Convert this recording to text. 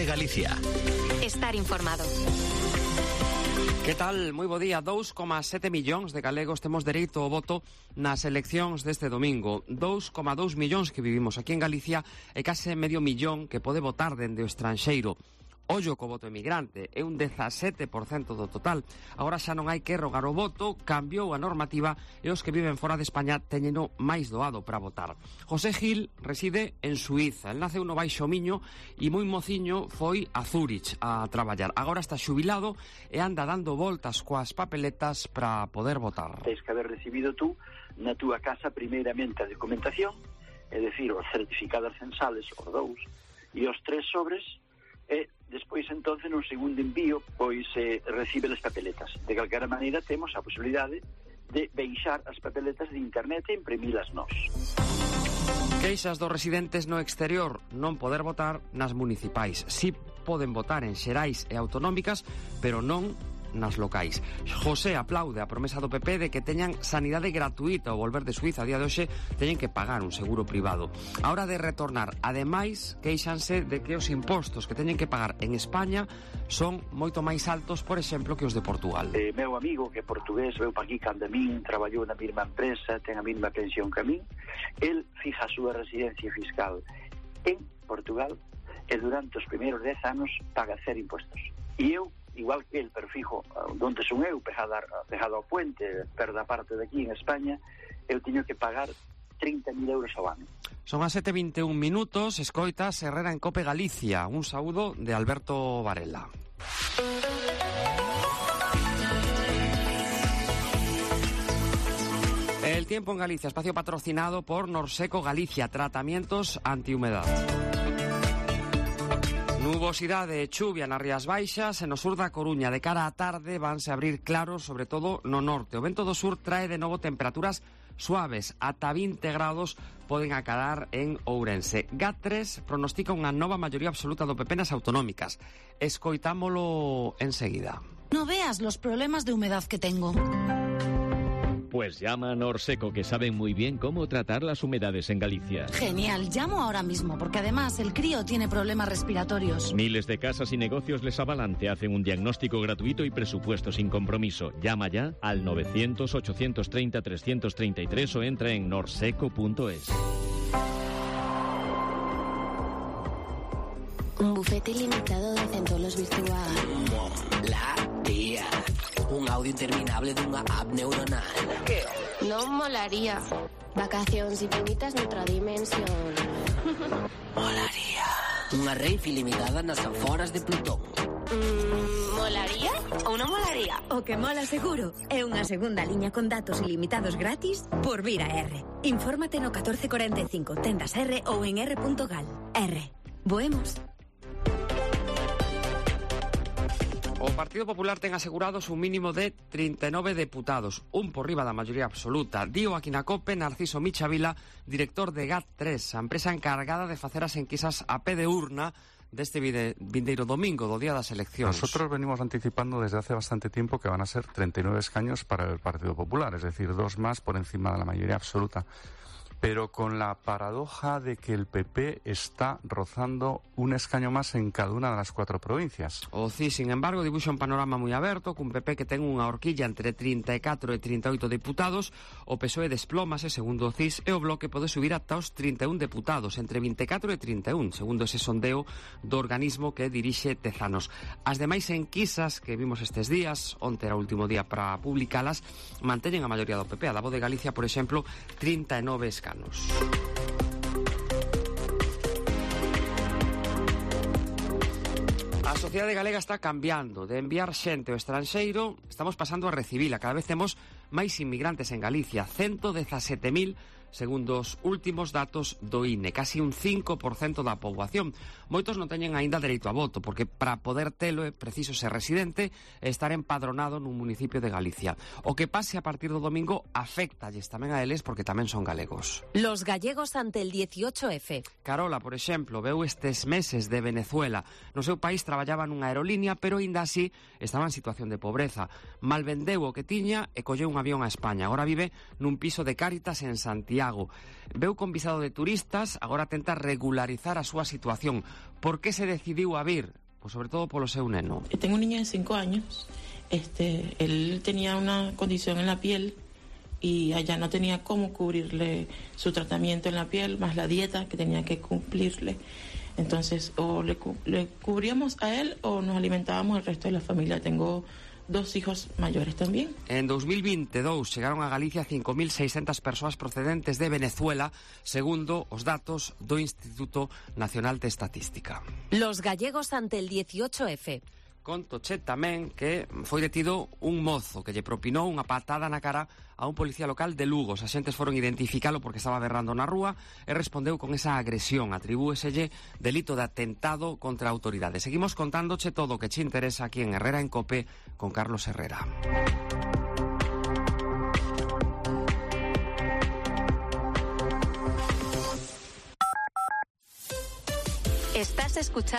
Galicia. Estar informado. Que tal? Moi bo día. 2,7 millóns de galegos temos dereito ao voto nas eleccións deste domingo. 2,2 millóns que vivimos aquí en Galicia e case medio millón que pode votar dende o estranxeiro. Ollo co voto emigrante, é un 17% do total. Agora xa non hai que rogar o voto, cambiou a normativa e os que viven fora de España teñeno máis doado para votar. José Gil reside en Suíza. El naceu no Baixo Miño e moi mociño foi a Zúrich a traballar. Agora está xubilado e anda dando voltas coas papeletas para poder votar. Tens que haber recibido tú na túa casa primeiramente a documentación, é dicir, os certificados censales, os 2, e os 3 sobres, e despois entonces nun segundo envío pois recibe as papeletas. De calquera maneira temos a posibilidade de baixar as papeletas de internet e imprimilas nós. Queixas dos residentes no exterior non poder votar nas municipais. Si poden votar en xerais e autonómicas, pero non nas locais. José aplaude a promesa do PP de que teñan sanidade gratuita ao volver de Suíza. A día de hoxe teñen que pagar un seguro privado. A hora de retornar, ademais, queixanse de que os impostos que teñen que pagar en España son moito máis altos, por exemplo, que os de Portugal. Meu amigo, que é portugués, veu pa aquí cando a min, traballou na mesma empresa, ten a mesma pensión que a min, el fija a súa residencia fiscal en Portugal e durante os primeiros 10 anos paga 0 impostos. E eu, igual que el, pero fijo, onde son eu, pegado ao puente, perda parte de aquí en España, eu teño que pagar 30.000 euros ao ano. Son as 7:21 minutos, escoitas Herrera en Cope Galicia. Un saúdo de Alberto Varela. El tiempo en Galicia, espacio patrocinado por Norseco Galicia, tratamientos antihumedad. Nubosidade e chuvia nas Rías Baixas e no sur da Coruña. De cara á tarde vanse abrir claros, sobre todo no norte. O vento do sur trae de novo temperaturas suaves, ata 20 grados poden acadar en Ourense. GAT3 pronostica unha nova maioría absoluta do PP nas autonómicas. Escoitámolo enseguida. No veas los problemas de humedad que tengo. Pues llama a Norseco, que saben muy bien cómo tratar las humedades en Galicia. Genial, llamo ahora mismo, porque además el crío tiene problemas respiratorios. Miles de casas y negocios les avalan, te hacen un diagnóstico gratuito y presupuesto sin compromiso. Llama ya al 900-830-333 o entra en norseco.es. Un bufete ilimitado de centolos virtual. Molaría. Un audio interminable dunha app neuronal. ¿Qué? Non molaría. Vacacións infinitas noutra dimensión. Molaría. Unha rave ilimitada nas aforas de Plutón. Molaría ou non molaría? O que mola seguro é unha segunda liña con datos ilimitados gratis por vir a R. Infórmate no 1445, tendas R ou en r.gal. R. Voemos. O Partido Popular ten asegurados un mínimo de 39 deputados, un por riba da maioría absoluta. Dío aquí na COPE Narciso Michavila, director de GAT3, a empresa encargada de facer as enquisas a pé de urna deste vindeiro domingo, do día das eleccións. Nosotros venimos anticipando desde hace bastante tiempo que van a ser 39 escaños para el Partido Popular, es decir, 2 más por encima de la mayoría absoluta. Pero con la paradoja de que el PP está rozando un escaño más en cada una de las 4 provincias. O CIS, sin embargo, dibuxa un panorama moi aberto, cun PP que ten unha horquilla entre 34 e 38 deputados, o PSOE desplómase, segundo o CIS, e o Bloque pode subir ata os 31 deputados, entre 24 e 31, segundo ese sondeo do organismo que dirixe Tezanos. As demais enquisas que vimos estes días, onte era o último día para publicalas, manteñen a maioría do PP. A da Voz de Galicia, por exemplo, 39 escanos. A sociedade galega está cambiando. De enviar xente ao estranxeiro, estamos pasando a recibila. Cada vez temos máis inmigrantes en Galicia, 117.000 segundo os últimos datos do INE, casi un 5% da poboación. Moitos non teñen aínda dereito a voto, porque para poder telo é preciso ser residente e estar empadronado nun municipio de Galicia. O que pase a partir do domingo afectalles tamén a eles, porque tamén son galegos. Los gallegos ante el 18F. Carola, por exemplo, veu estes meses de Venezuela. No seu país traballaba nunha aerolínea, pero aínda así estaba en situación de pobreza. Mal vendeu o que tiña e colleu un avión a España. Agora vive nun piso de Cáritas en Santiago. Santiago. Veu con visado de turistas, agora tenta regularizar a súa situación. Por que se decidiu a vir? Pois sobre todo polo seu neno. Tengo un niño de 5 años. Él tenía una condición en la piel y allá no tenía cómo cubrirle su tratamiento en la piel, más la dieta que tenía que cumplirle. Entonces, o le cubríamos a él o nos alimentábamos al resto de la familia. Tengo 2 hijos mayores también. En 2022 chegaron a Galicia 5.600 persoas procedentes de Venezuela, segundo os datos do Instituto Nacional de Estatística. Los gallegos ante el 18F. Contoche tamén que foi detido un mozo que lle propinou unha patada na cara a un policía local de Lugo. Os axentes foron identificalo porque estaba berrando na rúa e respondeu con esa agresión. Atribúeselle delito de atentado contra a autoridade. Seguimos contándoche todo o que che interesa aquí en Herrera en Cope con Carlos Herrera. Estás escuchando